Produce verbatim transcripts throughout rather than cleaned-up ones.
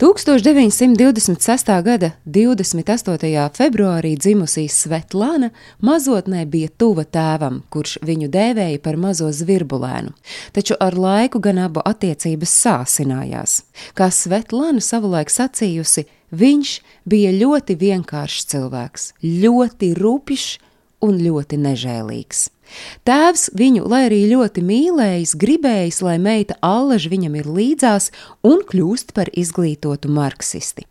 tūkstoš deviņsimt divdesmit sestā gada divdesmit astotajā februārī dzimusī Svetlana mazotnē bija tuva tēvam, kurš viņu dēvēja par mazo zvirbulēnu, taču ar laiku gan abu attiecības sāsinājās. Kā Svetlana savulaik sacījusi, viņš bija ļoti vienkāršs cilvēks, ļoti rupjš un ļoti nežēlīgs. Tēvs viņu, lai arī ļoti mīlējis, gribējis, lai meita allaž viņam ir līdzās un kļūst par izglītotu marksisti.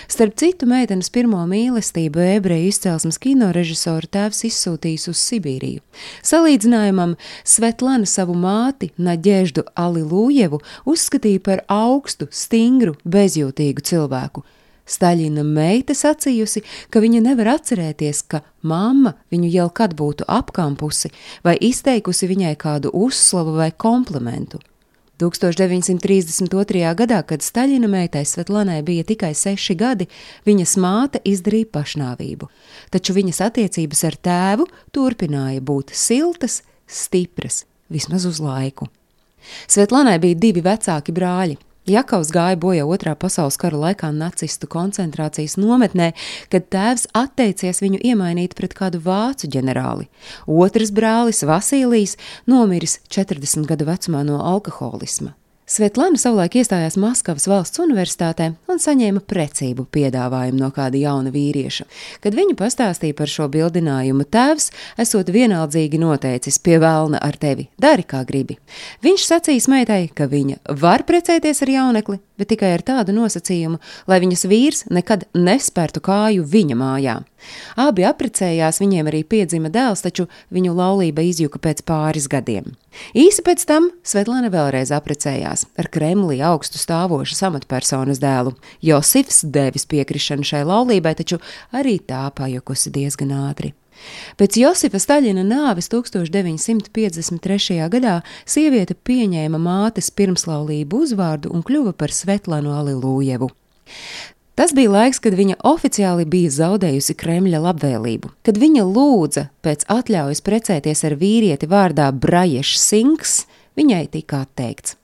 Starp citu, meitenes pirmo mīlestību ebreju izcelsmes kinorežisoru tēvs izsūtījis uz Sibīriju. Salīdzinājumam Svetlana savu māti Naģeždu Alilūjevu uzskatīja par augstu, stingru, bezjūtīgu cilvēku. Staļina meita sacījusi, ka viņa nevar atcerēties, ka mamma viņu jau kad būtu apkampusi vai izteikusi viņai kādu uzslavu vai komplimentu. tūkstoš deviņsimt trīsdesmit otrajā gadā, kad Staļina meitai Svetlanai bija tikai seši gadi, viņas māte izdarīja pašnāvību, taču viņas attiecības ar tēvu turpināja būt siltas, stipras, vismaz uz laiku. Svetlanai bija divi vecāki brāļi. Jakavs gāja bojā otrā pasaules kara laikā nacistu koncentrācijas nometnē, kad tēvs atteicies viņu iemainīt pret kādu vācu ģenerāli. Otrs brālis, Vasīlijs, nomiris četrdesmit gadu vecumā no alkoholisma. Svetlana savulaik iestājās Maskavas valsts universitātē un saņēma precību piedāvājumu no kāda jauna vīrieša. Kad viņa pastāstīja par šo bildinājumu, tēvs, esot vienaldzīgi noteicis pie velna ar tevi, dari kā gribi. Viņš sacīs meitai, ka viņa var precēties ar jaunekli, bet tikai ar tādu nosacījumu, lai viņas vīrs nekad nespērtu kāju viņa mājā. Abi apprecējās, viņiem arī piedzima dēls, taču viņu laulība izjuka pēc pāris gadiem. Īsi pēc tam Svetlana vēlreiz apprecējās ar Kremlī augstu stāvošas amatpersonas dēlu. Josifs devis piekrišanu šai laulībai, taču arī tā pajukusi diezgan ātri. Pēc Josifa Staļina nāves tūkstoš deviņsimt piecdesmit trešajā gadā sieviete pieņēma mātes pirmslaulību uzvārdu un kļuva par Svetlanu Alilūjevu. Tas bija laiks, kad viņa oficiāli bija zaudējusi Kremļa labvēlību. Kad viņa lūdza pēc atļaujas precēties ar vīrieti vārdā Braješs Sinks, viņai tika atteikts.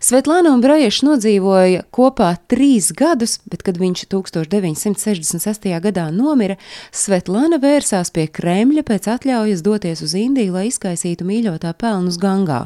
Svetlana un Braješs nodzīvoja kopā trīs gadus, bet, kad viņš tūkstoš deviņsimt sešdesmit sestajā gadā nomira, Svetlana vērsās pie Kremļa pēc atļaujas doties uz Indiju, lai izkaisītu mīļotā pelnus Gangā,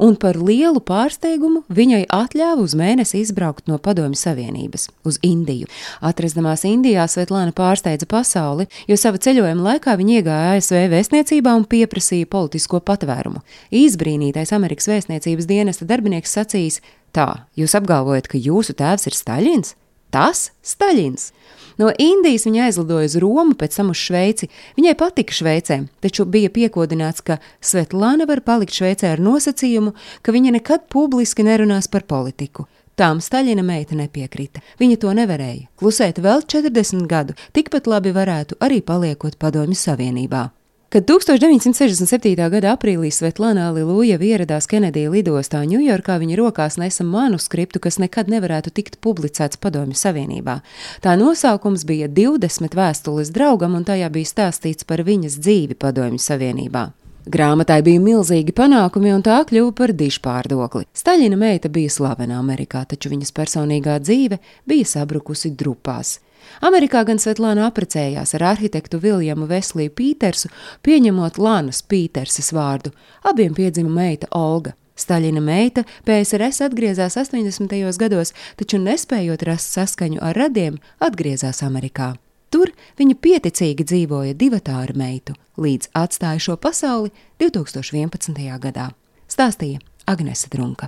un par lielu pārsteigumu viņai atļāva uz mēnesi izbraukt no Padomju Savienības uz Indiju. Atrasdamās Indijā, Svetlana pārsteidza pasauli, jo sava ceļojuma laikā viņa iegāja A S V vēstniecībā un pieprasīja politisko patvērumu. Izbrīnītais Amerikas vēstniecības dienesta darbinieks sacījis: tā, jūs apgalvojat, ka jūsu tēvs ir Staļins? Tas Staļins! No Indijas viņa aizlidoja uz Romu, pēc tam uz Šveici. Viņai patika Šveicē, taču bija piekodināts, ka Svetlana var palikt Šveicē ar nosacījumu, ka viņa nekad publiski nerunās par politiku. Tām Staļina meita nepiekrita. Viņa to nevarēja. Klusēt vēl četrdesmit gadu, tikpat labi varētu arī paliekot Padomju Savienībā. Kad tūkstoš deviņsimt sešdesmit septītā gada aprīlī Svetlana Alilūjeva ieradās Kenedija lidostā Ņujorkā, viņa rokās nesa manuskriptu, kas nekad nevarētu tikt publicēts Padomju Savienībā. Tā nosaukums bija divdesmit vēstules draugam, un tajā bija stāstīts par viņas dzīvi Padomju Savienībā. Grāmatai bija milzīgi panākumi, un tā kļuva par dižpārdokli. Staļina meita bija slavena Amerikā, taču viņas personīgā dzīve bija sabrukusi drupās. Amerikā gan Svetlana apprecējās ar arhitektu Viljamu Vesliju Pītersu, pieņemot Lanas Pīterses vārdu. Abiem piedzima meita Olga. Staļina meita P S R S atgriezās astoņdesmitajos gados, taču nespējot rast saskaņu ar radiem, atgriezās Amerikā. Tur viņa pieticīgi dzīvoja divatā ar meitu, līdz atstāja šo pasauli divtūkstoš vienpadsmitajā gadā. Stāstīja Agnese Drunka.